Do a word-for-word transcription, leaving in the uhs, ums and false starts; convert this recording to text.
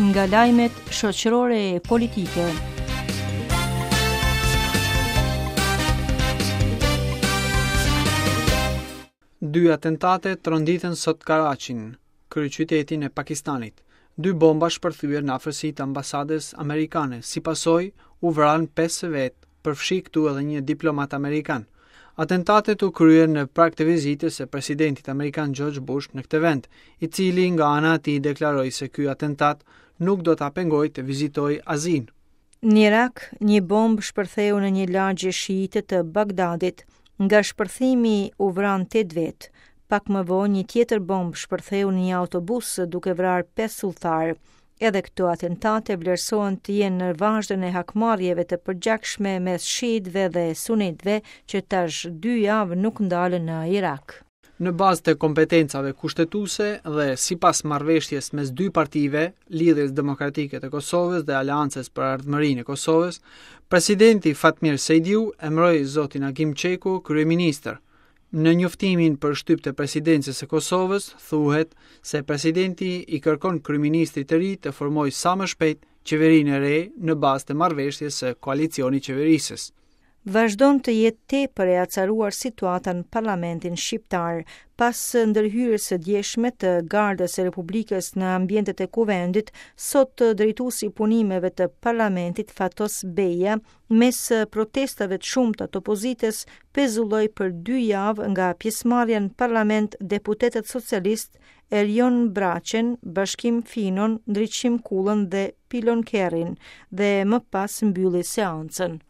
Nga lajmet shoqërore e politike. Dy atentate tronditën sot Karachin, kryeqytetin e Pakistanit. Dy bomba shpërthyen në afërsi të ambasadës amerikane. Si pasojë, u vranë pesë vetë, përfshi këtu edhe një diplomat amerikan. Atentatet u kryen në prag të vizitës së presidentit amerikan George Bush në këtë vend, i cili nga ana e tij deklaroi se ky atentat nuk do ta pengojë të vizitojë Azinë. Në Irak, një bombë shpërtheu në një lagje shiite të Bagdadit. Nga shpërthimi u vranë tetë vetë. Pak më vonë, një tjetër bombë shpërtheu në një autobus duke vrarë pesë udhëtarë. Edhe këto atentate vlerësohen të jenë në vazhdën e hakmarrjeve të përgjakshme mes shiitëve dhe sunitëve që tash dy javë nuk ndalen në Irak. Në bazë të kompetencave kushtetuese dhe sipas marrëveshjes mes dy partive, Lidhjes Demokratike të Kosovës dhe Aleancës për Ardhmërinë e Kosovës, presidenti Fatmir Sejdiu emëroi zotin Agim Çeku kryeministër. Në njoftimin për shtyp të presidencës së Kosovës thuhet se presidenti i kërkon kryeministrit të ri të formojë sa më shpejt qeverinë e re në bazë të marrëveshjes së koalicionit qeverisës. Vazhdon të jetë tepër e acaruar situata në parlamentin shqiptar. Pas ndërhyrjes së djeshme të Gardës së Republikës në ambientet e Kuvendit, sot drejtuesi i punimeve të parlamentit Fatos Beja, mes protestave të shumta të opozitës, pezulloi për dy javë nga pjesëmarrja në parlament deputetët socialistë Erion Braçen, Bashkim Finon, Ndriçim Kullën dhe Pilon Kerrin dhe më pas mbylli seancën.